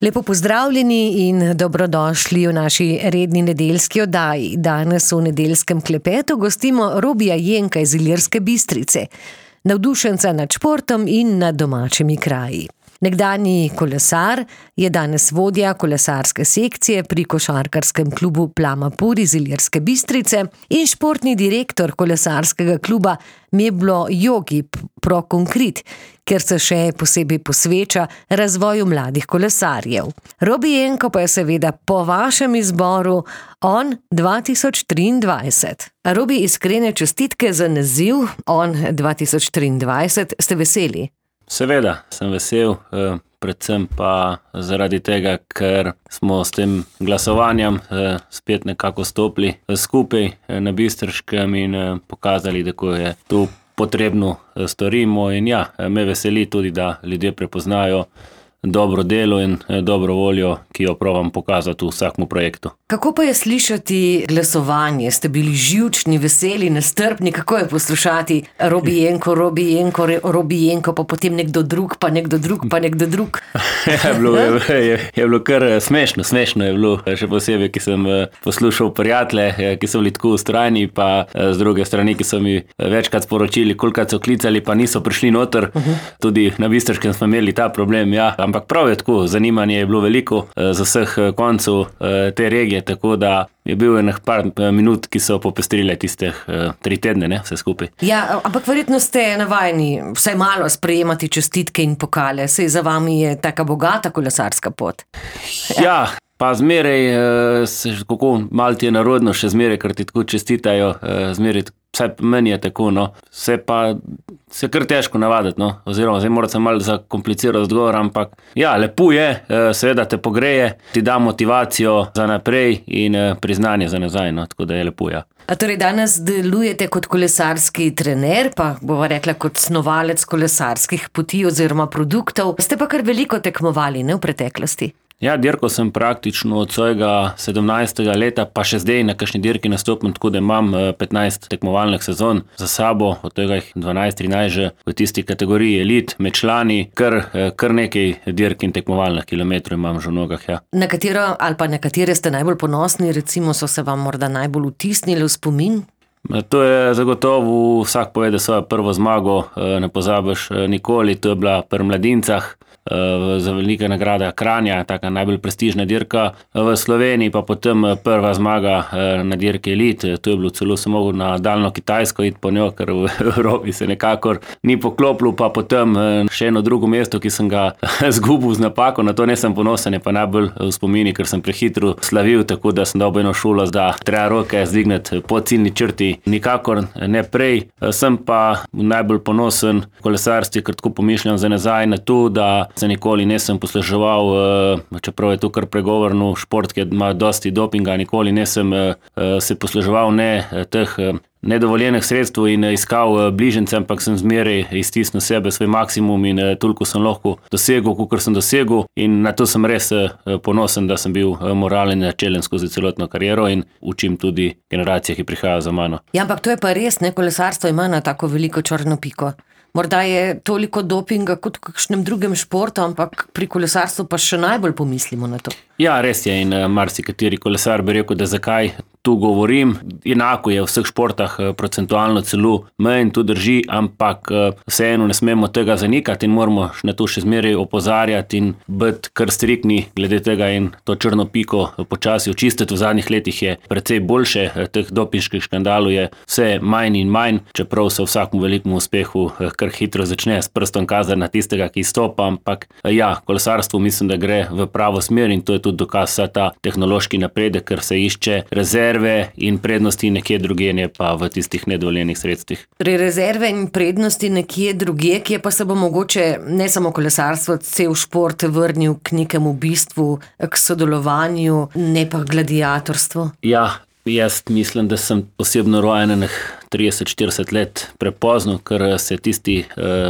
Lepo pozdravljeni in dobrodošli v naši redni nedeljski oddaji. Danes v nedeljskem klepetu gostimo Robija Jenka iz Ilirske Bistrice, navdušenca nad športom in nad domačimi kraji. Nekdanji kolesar je danes vodja kolesarske sekcije pri košarkarskem klubu Plama Pur iz Ilirske Bistrice in športni direktor kolesarskega kluba Meblo Jogi Pro Concrete, kjer se še posebej posveča razvoju mladih kolesarjev. Robi Jenko pa je seveda po vašem izboru On 2023. Robi, iskrene čestitke za naziv On 2023. Ste veseli? Seveda, sem vesel, predvsem pa zaradi tega, ker smo s tem glasovanjem spet nekako stopili skupaj na Bistriškem in pokazali, da ko je tu potrebno storimo. In ja, me veseli tudi, da ljudje prepoznajo dobro delo in dobro voljo, ki jo probam pokazati v vsakmu projektu. Kako pa je slišati glasovanje? Ste bili živčni, veseli, nestrpni? Kako je poslušati Robi Jenko, Robi Jenko, Robi Jenko, pa potem nekdo drug, pa nekdo drug, pa nekdo drug? Je bilo kar smešno je bilo, še posebej, ki sem poslušal prijatelje, ki so bili tako ustrajni, pa z druge strani, ki so mi večkrat sporočili, kolikrat so klicali, pa niso prišli noter. Tudi na Bistriškem smo imeli ta problem, ja. Ampak prav je tako, zanimanje je bilo veliko z vseh koncev te regije, tako da je bil enih par minut, ki so popestrile tistih 3 tedne, ne, vse skupaj. Ja, ampak verjetno ste navajeni vsaj malo sprejemati čestitke in pokale, saj za vami je taka bogata kolesarska pot. Ja, pa zmeraj, kako malo ti je narodno, še zmeraj, ker ti tako čestitajo, zmeraj, vsaj meni je tako, no. Se kar težko navaditi, no, oziroma zdaj morate malo zakomplicirati odgovor, ampak ja, lepo je, seveda te pogreje, ti da motivacijo za naprej in priznanje za nazaj, no, tako da je lepo, ja. A torej danes delujete kot kolesarski trener, pa bova rekla kot snovalec kolesarskih poti oziroma produktov. Ste pa kar veliko tekmovali, ne, v preteklosti? Ja, dirko sem praktično od svojega 17. leta, pa še zdaj na kakšni dirki nastopim, tako da imam 15 tekmovalnih sezon za sabo, od tega jih 12-13 že v tisti kategoriji elit, med člani, kar nekaj dirk in tekmovalnih kilometrov imam že v nogah, ja. Na katero ali pa na katere ste najbolj ponosni, recimo so se vam morda najbolj vtisnili v spomin? To je zagotovo, vsak povede svojo prvo zmago, ne pozabiš nikoli, to je bila pri mladincah, za velika nagrada Kranja, taka najbolj prestižna dirka v Sloveniji, pa potem prva zmaga na dirki elit, to je bilo celo se mogel na daljno Kitajsko iti po njo, ker v Evropi se nekakor ni poklopilo, pa potem še eno drugo mesto, ki sem ga zgubil z napako, na to nisem ponosen, je pa najbolj v spomini, ker sem prehitro slavil, tako da sem dobil eno šolo, da treba roke zdigniti po ciljni črti, nikakor ne prej. Sem pa najbolj ponosen kolesarstvi, ker tako pomišljam za nazaj na to, da se nikoli nisem posluževal, čeprav je to kar pregovorno, šport, ki ima dosti dopinga, nikoli nisem se posluževal teh nedovoljenih sredstev in iskal bližnjice, ampak sem zmeraj iztisnil sebe, svoj maksimum in toliko sem lahko dosegel, kakor sem dosegel, in na to sem res ponosen, da sem bil moralen načelen skozi celotno kariero in učim tudi generacije, ki prihajajo za mano. Ja, ampak to je pa res, ne, kolesarstvo ima na tako veliko črno piko. Morda je toliko dopinga kot v kakšnem drugem športu, ampak pri kolesarstvu pa še najbolj pomislimo na to. Ja, res je, in marsikateri kolesar bi rekel, da zakaj tu govorim. Enako je v vseh športah procentualno celo manj, to drži, ampak vseeno ne smemo tega zanikati in moramo na to še zmeraj opozarjati in biti kar striktni glede tega in to črno piko počasi očistiti. V zadnjih letih je precej boljše, teh dopinških škandalov je vse manj in manj, čeprav se vsakmu velikemu uspehu kar hitro začne s prstom kazati na tistega, ki stopa, ampak ja, kolesarstvo mislim, da gre v pravo smer in to je tudi dokaz vsa ta tehnološki napredek, ker se išče rezerve in prednosti nekje drugje, ne pa v tistih nedovoljenih sredstvih. Rezerve in prednosti nekje drugje, kje pa se bo mogoče ne samo kolesarstvo, cel šport vrnil k nekemu bistvu, k sodelovanju, ne pa gladiatorstvu? Ja, jaz mislim, da sem osebno rojen 30-40 let prepozno, ker se tisti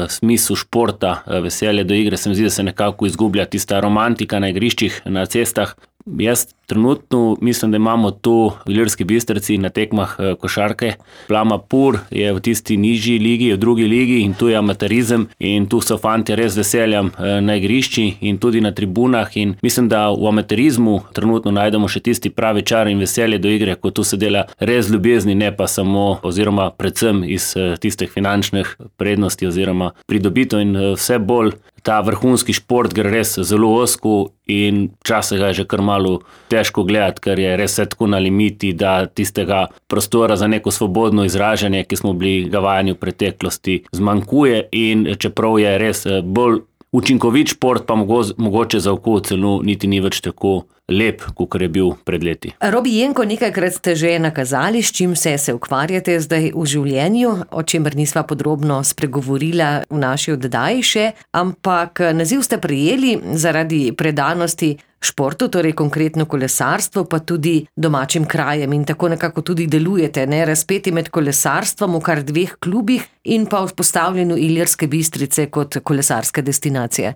smisel športa, veselje do igre, se mi zdi, da se nekako izgublja tista romantika na igriščih, na cestah, Jaz trenutno mislim, da imamo tu v Ilirski Bistrici na tekmah košarke. Plama Pur je v tisti nižji ligi, v drugi ligi in tu je amaterizem in tu so fantje res veseljem na igrišči in tudi na tribunah in mislim, da v amaterizmu trenutno najdemo še tisti pravi čar in veselje do igre, ko tu se dela res ljubezni, ne pa samo oziroma predvsem iz tistih finančnih prednosti oziroma pridobitev in vse bolj ta vrhunski šport gre res zelo ozko in včasih ga je že kar malo težko gledati, ker je res tako na limiti, da tistega prostora za neko svobodno izražanje, ki smo bili ga vajeni v preteklosti, zmanjkuje in čeprav je res bolj učinkovit šport, pa mogoče za oko celo niti ni več tako lep, kot je bil pred leti. Robi Jenko, nekajkrat ste že nakazali, s čim se ukvarjate zdaj v življenju, o čemer nisva podrobno spregovorila v naši oddaji še, ampak naziv ste prejeli zaradi predanosti športu, torej konkretno kolesarstvo, pa tudi domačim krajem in tako nekako tudi delujete, razpeti med kolesarstvom v kar 2 klubih in pa vzpostavljanju Ilirske Bistrice kot kolesarske destinacije.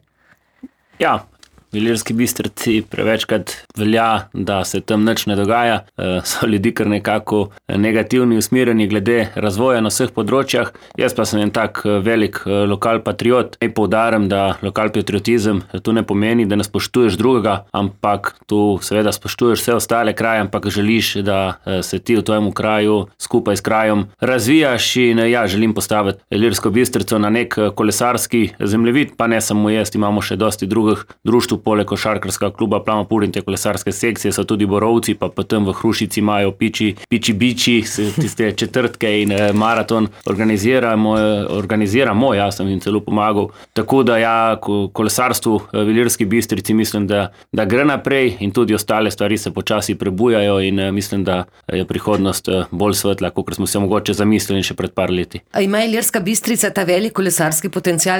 Ja, v Ilirski Bistrici prevečkrat velja, da se tam nič ne dogaja. So ljudi kar nekako negativni usmerjeni glede razvoja na vseh področjah. Jaz pa sem en tak velik lokal patriot. Naj poudarim, da lokal patriotizem tu ne pomeni, da ne spoštuješ drugega, ampak tu seveda spoštuješ vse ostale kraje, ampak želiš, da se ti v tvojem kraju skupaj s krajem razvijaš in želim postaviti Ilirsko Bistrico na nek kolesarski zemljevid, pa ne samo jaz, imamo še dosti drugih društv, poleg košarkarskega kluba Plama Pur in te kolesarske sekcije so tudi Borovci, pa potem v Hrušici imajo piči, tiste četrtke in maraton organiziramo, jaz sem jim celo pomagal. Tako da kolesarstvu v Ilirski Bistrici mislim, da gre naprej in tudi ostale stvari se počasi prebujajo in mislim, da je prihodnost bolj svetla, kot smo se mogoče zamislili še pred par leti. A ima Ilirska Bistrica ta velik kolesarski potencial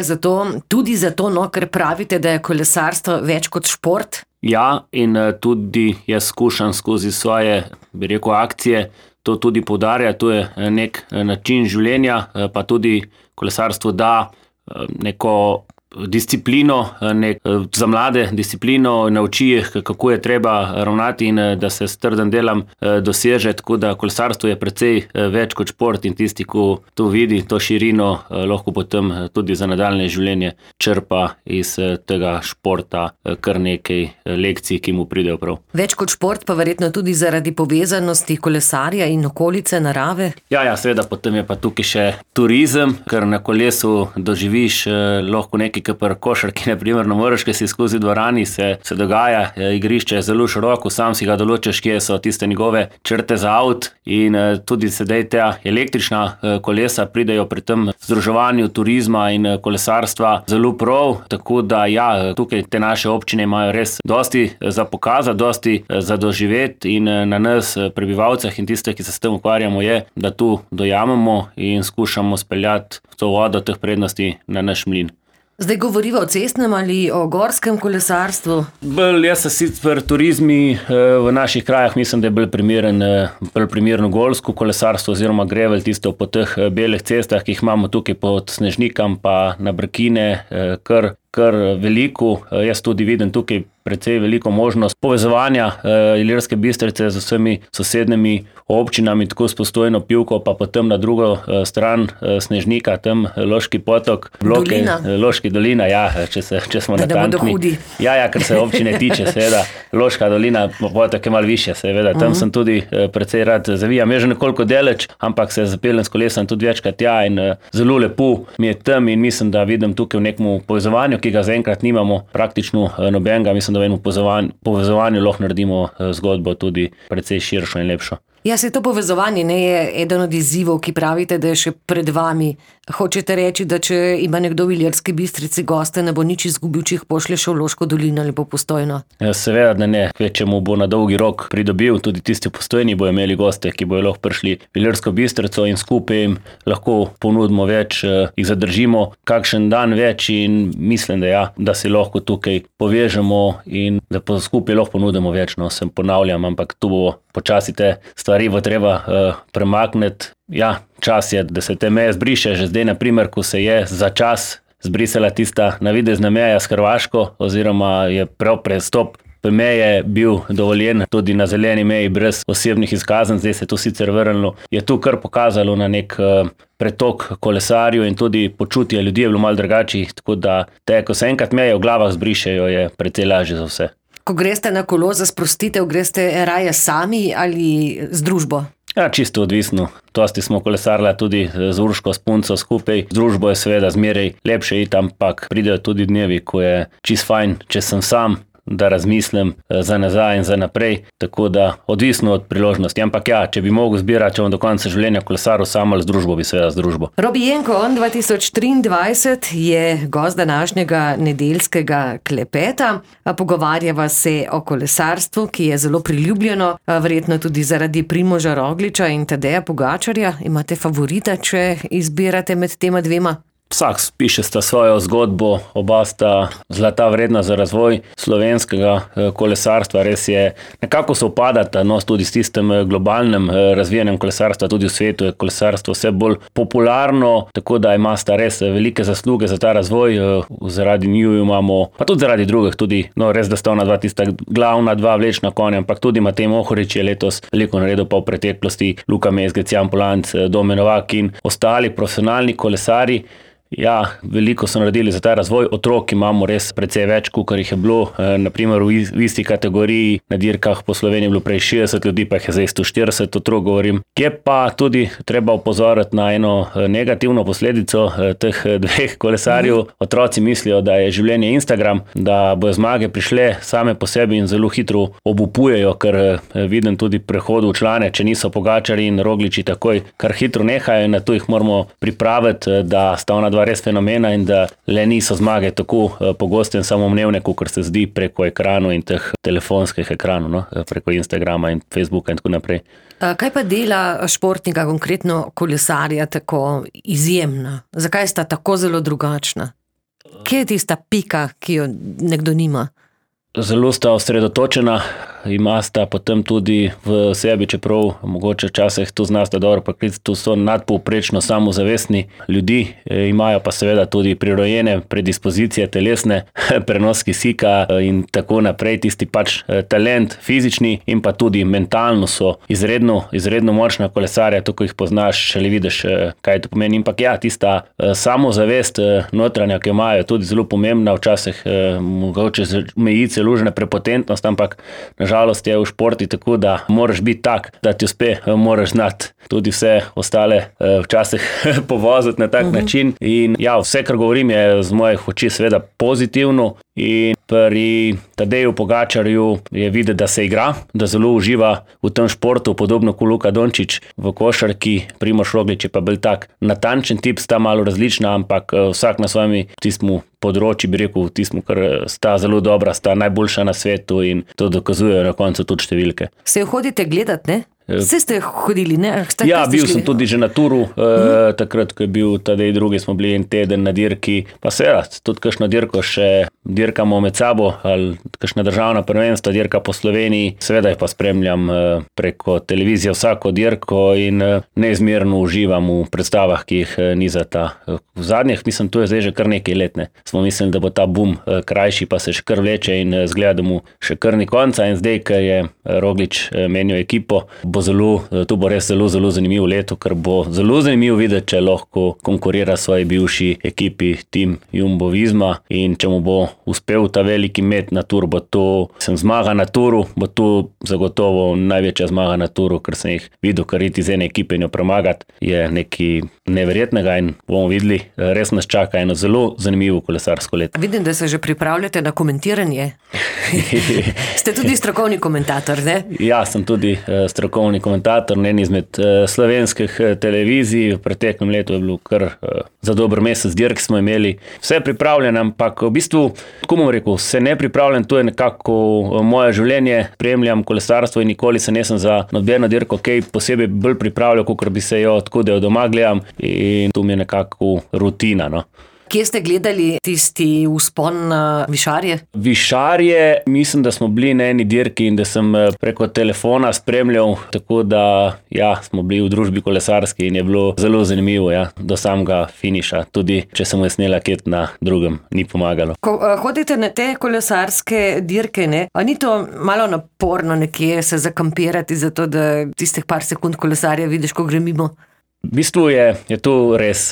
tudi zato, ker pravite, da je kolesarstvo več kot šport? Ja, in tudi jaz skušam skozi svoje, akcije to tudi poudarjati. To je nek način življenja, pa tudi kolesarstvo da neko disciplino, za mlade disciplino, nauči jih, kako je treba ravnati in da se s trdim delom doseže, tako da kolesarstvo je precej več kot šport in tisti, ko to vidi, to širino, lahko potem tudi za nadaljnje življenje črpa iz tega športa kar nekaj lekcij, ki mu pridejo prav. Več kot šport pa verjetno tudi zaradi povezanosti kolesarja in okolice, narave? Ja, seveda, potem je pa tukaj še turizem, ker na kolesu doživiš lahko nekaj pri košarki, na primer, na moreš, ki si skozi dvorani, se dogaja, igrišče je zelo široko, sam si ga določiš, kje so tiste njegove črte za avt in tudi sedaj ta električna kolesa pridejo pri tem združevanju turizma in kolesarstva zelo prav, tako da tukaj te naše občine imajo res dosti za pokazati, dosti za doživeti in na nas, prebivalcih in tistih, ki se s tem ukvarjamo, je, da tu dojamemo in skušamo speljati to vodo teh prednosti na naš mlin. Zdaj govoriva o cestnem ali o gorskem kolesarstvu? Jaz sem sicer turizmi v naših krajah, mislim, da je bolj primerno gorsko kolesarstvo oziroma grevel, tisto po teh belih cestah, ki jih imamo tukaj pod Snežnikom pa na Brkine, kar veliko. Jaz tudi vidim tukaj precej veliko možnost povezovanja Ilirske Bistrice z vsemi sosednjimi občinami, tako s Postojno, Pivko, pa potem na drugo stran Snežnika, tam Loški potok, Loški dolina, če smo natančni. Ker se občine tiče, seveda, Loška dolina, potok je malo više, seveda, tam sem tudi precej rad zavijam. Je že nekoliko daleč, ampak se zapeljem s kolesom tudi večkrat in zelo lepo mi je tam in mislim, da vidim tukaj v nekem povezovanju, ki ga zaenkrat nimamo praktično nobenega. Mislim, da v enem povezovanju lahko naredimo zgodbo tudi precej širšo in lepšo. Se to povezovanje je eden od izzivov, ki pravite, da je še pred vami. Hočete reči, da če ima nekdo v Ilirski Bistrici goste, ne bo nič izgubil, če jih pošlje še v Loško dolino ali po Postojno? Seveda, da ne. Kvečemu bo na dolgi rok pridobil, tudi tisti v Postojni bojo imeli goste, ki bojo lahko prišli v Ilirsko Bistrico in skupaj jim lahko ponudimo več, jih zadržimo kakšen dan več in mislim, da se lahko tukaj povežemo in da skupaj lahko ponudimo več. Se ponavljam, ampak tu bo počasi te stvari bo treba premakniti. Čas je, da se te meje zbriše. Že zdaj, na primer, ko se je za čas zbrisala tista navidezna meja s Hrvaško oziroma je prav prestop Meji je bil dovoljen tudi na zeleni meji brez osebnih izkazanj, zdaj se je to sicer vrnilo. Je tu kar pokazalo na nek pretok kolesarjev in tudi počutje ljudi je bilo malo drugače, tako da ko se enkrat meje v glavah zbrišejo, je precej lažje za vse. Ko greste na kolo za sprostitev, greste raje sami ali z družbo? Ja, čisto odvisno. Dosti smo kolesarili tudi z Urško, s punco skupaj. Z družbo je seveda zmeraj lepše iti, ampak pridejo tudi dnevi, ko je čisto fajn, če sem sam, da razmislim za nazaj in za naprej, tako da odvisno od priložnosti. Ampak ja, če bi mogel zbirati, če bom do konca življenja kolesaril sam ali z družbo, bi seveda z družbo. Robi Jenko, on 2023 je gost današnjega nedeljskega klepeta. Pogovarjava se o kolesarstvu, ki je zelo priljubljeno, verjetno tudi zaradi Primoža Rogliča in Tadeja Pogačarja. Imate favorita, če izbirate med tema dvema? Vsak piše sta svojo zgodbo, oba sta zlata vredna za razvoj slovenskega kolesarstva. Res je, nekako se upadata, tudi s tistem globalnem razvijanjem kolesarstva, tudi v svetu je kolesarstvo vse bolj popularno, tako da ima sta res velike zasluge za ta razvoj. Zaradi njiju imamo, pa tudi zaradi drugih, tudi res, da sta ona dva tista glavna dva vlečna konja, ampak tudi Matej Mohorič je letos veliko naredil pa v preteklosti, Luka Mezgec, Jan Polanc, Domen Novak in ostali profesionalni kolesarji. Ja, veliko so naredili za ta razvoj. Otrok imamo res precej več, kot jih je bilo. Naprimer v isti kategoriji na dirkah po Sloveniji je bilo prej 60 ljudi, pa jih je zdaj 140 otrok, govorim. Je pa tudi treba opozoriti na eno negativno posledico teh dveh kolesarjev. Otroci mislijo, da je življenje Instagram, da bojo zmage prišle same po sebi in zelo hitro obupujejo, ker vidim tudi prehod v člane, če niso Pogačarji in Rogliči takoj kar hitro nehajo in na to jih moramo pripraviti, da sta ona dva res fenomena in da le niso zmage tako pogoste in samoumevne, kot se zdi preko ekranov in teh telefonskih ekranov, preko Instagrama in Facebooka in tako naprej. Kaj pa dela športnika, konkretno kolesarja, tako izjemna? Zakaj sta tako zelo drugačna? Kje je tista pika, ki jo nekdo nima? Zelo sta osredotočena, imata potem tudi v sebi, čeprav mogoče včasih to znasta dobro poklicati, to so nadpovprečno samozavestni ljudi, imajo pa seveda tudi prirojene predispozicije telesne, prenos kisika in tako naprej, tisti pač talent fizični in pa tudi mentalno so izredno močna kolesarja, to ko jih poznaš, šele vidiš, kaj to pomeni. Ampak ja, tista samozavest notranja, ki jo imajo, je tudi zelo pomembna, včasih mogoče meji celužna prepotentnost, ampak nažalost je v športi tako, da moraš biti tak, da ti uspe, moraš znati tudi vse ostale včasih povoziti na tak način. In ja, vse, kar govorim, je z mojih oči seveda pozitivno. In pri Tadeju Pogačarju je videti, da se igra, da zelo uživa v tem športu, podobno kot Luka Dončić v košarki. Primož Roglič je pa bolj tak natančen tip, sta malo različna, ampak vsak na svojem tistem področju, bi rekel, tistem, kar sta zelo dobra, sta najboljša na svetu in to dokazujejo na koncu tudi številke. Se jo hodite gledati, ne? Vse ste hodili, ne? Ja, bil sem tudi že na turu, takrat, ko je bil Tadej drugi, smo bili en teden na dirki, pa seveda, tudi kakšno dirko še dirkamo med sabo, ali kakšna državna prvenstva, dirka po Sloveniji, seveda jih pa spremljam preko televizije vsako dirko in neizmerno uživam v predstavah, ki jih nizata. V zadnjih, mislim, tu je zdaj že kar nekaj let, ne. Smo mislili, da bo ta boom krajši, pa se še kar vleče in zgleda, da mu še kar ni konca in zdaj, ko je Roglič menil ekipo, to bo res zelo zanimivo leto, ker bo zelo zanimivo videti, če lahko konkurira svoji bivši ekipi Team Jumbo Visma in če mu bo uspel ta veliki met na tur, bo to zmaga na turu, bo to zagotovo največja zmaga na turu, ker sem jih videl, kar iti z ene ekipe in jo premagati, je nekaj neverjetnega in bomo videli, res nas čaka eno zelo zanimivo kolesarsko leto. Vidim, da se že pripravljate na komentiranje. Ste tudi strokovni komentator, ne? Ja, sem tudi strokovni komentator na eni izmed slovenskih televizij. V preteklem letu je bilo kar za dober mesec dirk smo imeli. Vse pripravljeno, ampak v bistvu, tako bom rekel, se ne pripravljam, to je nekako moje življenje, spremljam kolesarstvo in nikoli se nisem za nobeno dirko kaj posebej bolj pripravljal, kot bi se jo, tako da jo doma gledam in to mi je nekako rutina, no. Kje ste gledali tisti vzpon na Višarje? Višarje, mislim, da smo bili na eni dirki in da sem preko telefona spremljal, tako da smo bili v družbi kolesarski in je bilo zelo zanimivo, do samega finiša. Tudi če sem snela ket na drugem, ni pomagalo. Ko hodite na te kolesarske dirke, a ni to malo naporno nekje se zakampirati, zato da tistih par sekund kolesarja vidiš, ko gre mimo? V bistvu je to res.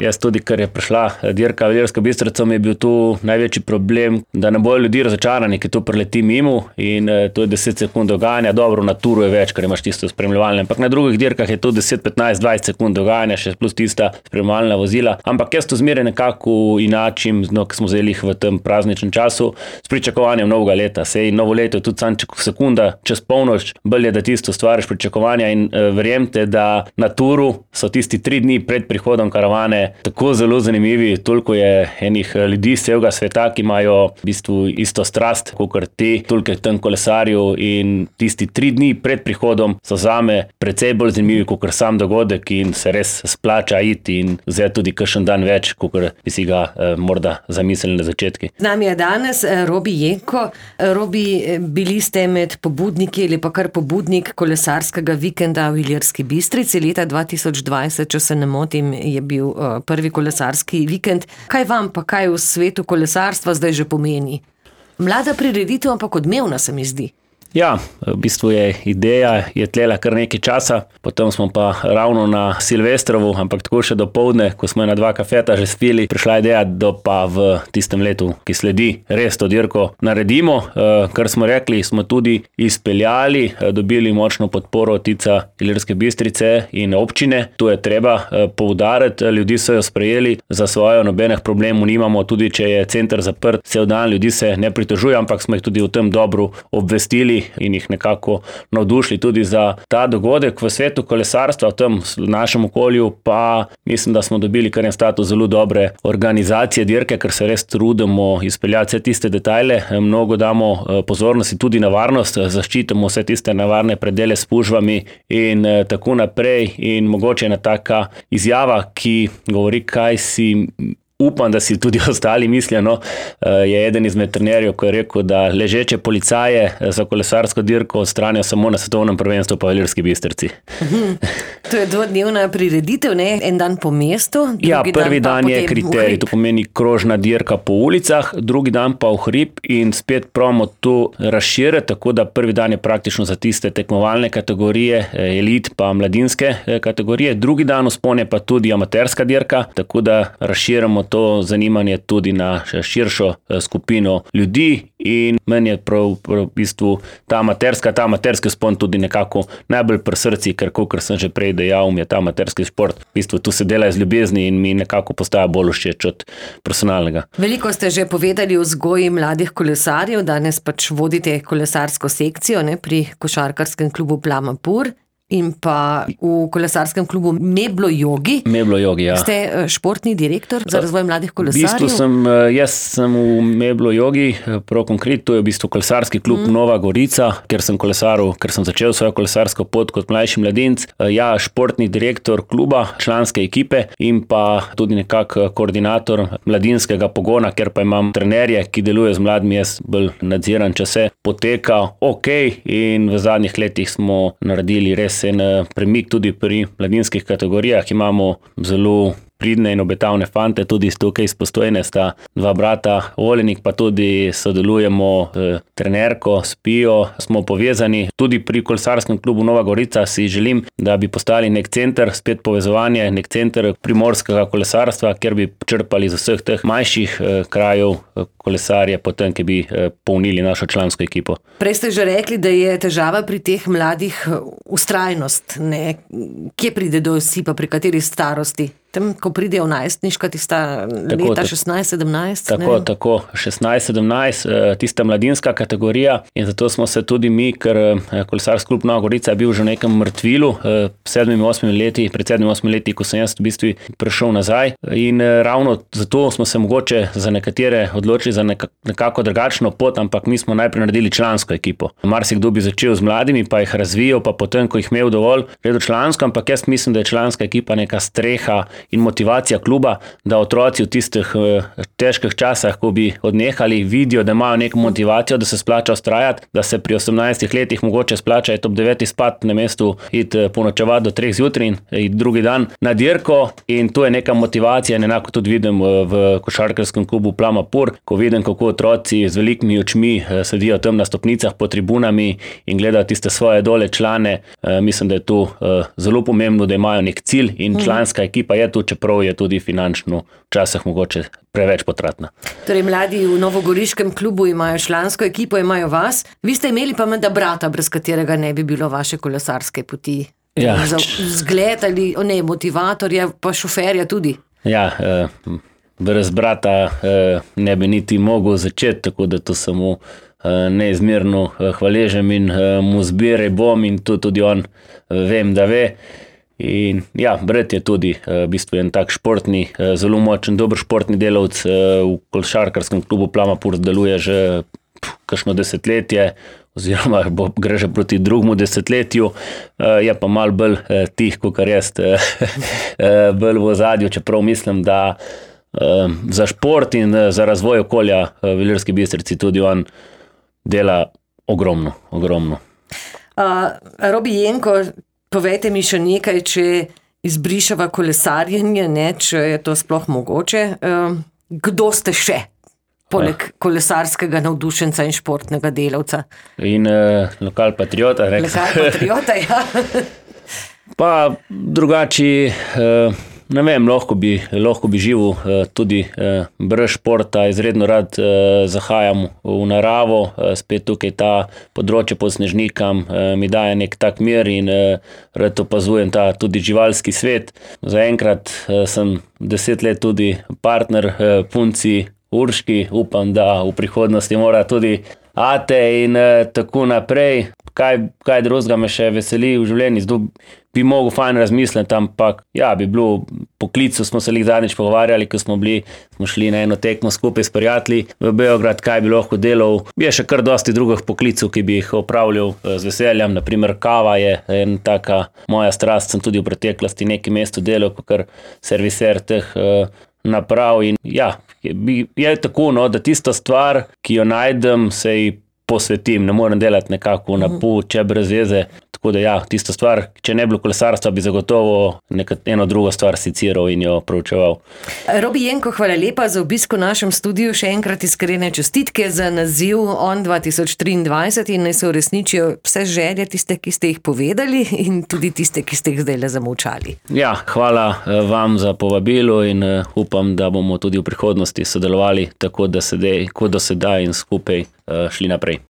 Jaz tudi, ker je prišla dirka v Ilirsko Bistrico, mi je bil tu največji problem, da ne bojo ljudi razočarani, ki to preleti mimo in to je 10 sekund dogajanja. Dobro, na turu je več, ker imaš tisto spremljevalne, ampak na drugih dirkah je to 10, 15, 20 sekund dogajanja, še plus tista spremljevalna vozila. Ampak jaz to zmeraj nekako inačim, ker smo vzeli v tem prazničnem času s pričakovanjem novega leta. Sej novo leto je tudi samo sekunda čez polnoč, bolje, da tisto stvariš pričakovanja in verjemite, da na turu so tisti 3 dni pred prihodom karavane tako zelo zanimivi, toliko je enih ljudi z celega sveta, ki imajo v bistvu isto strast, kakor ti, toliko je tam kolesarjev in tisti 3 dni pred prihodom so zame precej bolj zanimivi, kakor sam dogodek in se res splača iti in vzeti tudi kakšen dan več, kakor bi si ga morda zamislili na začetki. Z nami je danes Robi Jenko. Robi, bili ste med pobudniki ali pa kar pobudnik kolesarskega vikenda v Ilirski Bistrici leta 2020, če se ne motim, je bil prvi kolesarski vikend. Kaj vam pa kaj v svetu kolesarstva zdaj že pomeni? Mlada prireditev, ampak odmevna se mi zdi. Ja, v bistvu ideja je tlela kar nekaj časa, potem smo pa ravno na Silvestrovu, ampak tako še dopoldne, ko smo na 2 kafeta že spili, prišla ideja, da pa v tistem letu, ki sledi, res to dirko naredimo. Kar smo rekli, smo tudi izpeljali, dobili močno podporo Tica Ilirske Bistrice in občine. To je treba poudariti, ljudi so jo sprejeli za svojo, nobenih problemov nimamo, tudi če je center zaprt, cel dan ljudi se ne pritožuje, ampak smo jih tudi v tem dobro obvestili in jih nekako navdušili tudi za ta dogodek v svetu kolesarstva, v tem našem okolju, pa mislim, da smo dobili kar en status zelo dobre organizacije dirke, ker se res trudimo izpeljati vse tiste detajle, mnogo damo pozornosti tudi na varnost, zaščitimo vse tiste nevarne predele s spužvami in tako naprej in mogoče ena taka izjava, ki govori, kaj si upam, da si tudi ostali mislijo, je eden izmed trenerjev, ko je rekel, da ležeče policaje za kolesarsko dirko odstranijo samo na svetovnem prvenstvu pa v Ilirski Bistrici. To je 2-dnevna prireditev, en dan po mestu. Prvi dan je kriterij, to pomeni krožna dirka po ulicah, drugi dan pa v hrib in spet probamo to razširiti, tako da prvi dan je praktično za tiste tekmovalne kategorije, elit pa mladinske kategorije, drugi dan vzpon je pa tudi amaterska dirka, tako da razširamo to zanimanje tudi na širšo skupino ljudi in meni je prav v bistvu ta amaterski vzpon tudi nekako najbolj pri srcu, ker kakor sem že prej dejal, mi je ta amaterski šport. V bistvu tu se dela iz ljubezni in mi nekako postaja bolj všeč od personalnega. Veliko ste že povedali o vzgoji mladih kolesarjev, danes pač vodite kolesarsko sekcijo pri košarkarskem klubu Plama Pur. In pa v kolesarskem klubu Meblo Jogi. Meblo Jogi, ja. Ste športni direktor za razvoj mladih kolesarjev? V bistvu jaz sem v Meblo Jogi, prav konkretno, to je v bistvu kolesarski klub Nova Gorica, ker sem kolesaril, ker sem začel svojo kolesarsko pot kot mlajši mladinec. Ja, športni direktor kluba, članske ekipe in pa tudi nekako koordinator mladinskega pogona, ker pa imam trenerje, ki deluje z mladimi, jaz bolj nadziram, če se poteka in v zadnjih letih smo naredili res en premik tudi pri mladinskih kategorijah. Imamo zelo pridne in obetavne fante, tudi tukaj iz Postojne sta 2 brata, Olenik, pa tudi sodelujemo trenerko, s Pijo, smo povezani. Tudi pri kolesarskem klubu Nova Gorica si želim, da bi postali nek center, spet povezovanje, nek center primorskega kolesarstva, kjer bi črpali z vseh teh manjših krajev kolesarje, potem, ki bi polnili našo člansko ekipo. Prej ste že rekli, da je težava pri teh mladih ustrajnost. Kje pride do osipa, pri kateri starosti? Tam, ko pridejo v najstniška, tista leta 16-17? Tako, 16-17, tista mladinska kategorija in zato smo se tudi mi, ker kolesarski klub Nova Gorica je bil že v nekem mrtvilu, pred 7-8 leti, ko sem jaz v bistvu prišel nazaj in ravno zato smo se mogoče za nekatere odločili za nekako drugačno pot, ampak mi smo najprej naredili člansko ekipo. Marsikdo bi začel z mladimi, pa jih razvijal, pa potem, ko jih imel dovolj, gledal člansko, ampak jaz mislim, da je članska ekipa neka streha in motivacija kluba, da otroci v tistih težkih časih, ko bi odnehali, vidijo, da imajo neko motivacijo, da se splača ustrajati, da se pri 18 letih mogoče splača iti ob 9 spat na mestu, iti ponočevati do 3 zjutraj in iti drugi dan na dirko, in to je neka motivacija. Enako tudi vidim v košarkarskem klubu Plama Pur, ko vidim, kako otroci z velikimi očmi sedijo tam na stopnicah pod tribunami in gledajo tiste svoje dole člane. Mislim, da je to zelo pomembno, da imajo nek cilj, in članska ekipa je tu, čeprav je tudi finančno včasih mogoče preveč potratna. Torej, mladi v novogoriškem klubu imajo člansko ekipo, imajo vas. Vi ste imeli pa menda brata, brez katerega ne bi bilo vaše kolesarske poti. Ja. Za vzgled ali motivatorja, pa šoferja tudi. Ja, brez brata ne bi niti mogel začeti, tako da to samo neizmerno hvaležem in mu zbiraj bom, in to tudi on vem, da ve. In ja, brat je tudi v bistvu en tak športni, zelo močen, dober športni delavec, v košarkarskem klubu Plama Pur deluje že kakšno desetletje, oziroma gre že proti drugemu desetletju, je pa malo bolj tih, kakor jaz, bolj v ozadju, čeprav mislim, da za šport in za razvoj okolja v Ilirski Bistrici tudi on dela ogromno. Robi Jenko, povejte mi še nekaj, če izbrišava kolesarjenje, ne, če je to sploh mogoče. Kdo ste še, poleg kolesarskega navdušenca in športnega delavca? In lokal patriota. Lokal patriota, ja. Pa drugači, ne vem, lahko bi živel tudi brez športa, izredno rad zahajam v naravo, spet tukaj ta področje pod Snežnikam mi daje nek tak mir in rad opazujem ta tudi živalski svet. Zaenkrat sem 10 let tudi partner punci Urški, upam, da v prihodnosti mora tudi ate in tako naprej. Kaj drugega me še veseli v življenju, zdaj bi mogel fajn razmisliti, ampak ja, bi bilo poklicu, smo se zadnjič pogovarjali, ko smo šli na eno tekmo skupaj s prijatelji v Beograd, kaj bi lahko delal. Je še kar dosti drugih poklicov, ki bi jih opravljal z veseljem, naprimer kava je en taka moja strast, sem tudi v preteklosti neki mestu delal, kakor serviser teh naprav, in ja, je tako, no, da tisto stvar, ki jo najdem, se ji posvetim, ne morem delati nekako na pol, če brez veze. Tako da ja, tisto stvar, če ne bi bilo kolesarstva, bi zagotovo eno drugo stvar siciral in jo proučeval. Robi Jenko, hvala lepa za obisk v našem studiu, še enkrat iskrene čestitke za naziv ON 2023 in naj se uresničijo vse želje, tiste, ki ste jih povedali, in tudi tiste, ki ste jih zdaj le zamolčali. Ja, hvala vam za povabilo in upam, da bomo tudi v prihodnosti sodelovali tako, da kot do sedaj in skupaj šli naprej.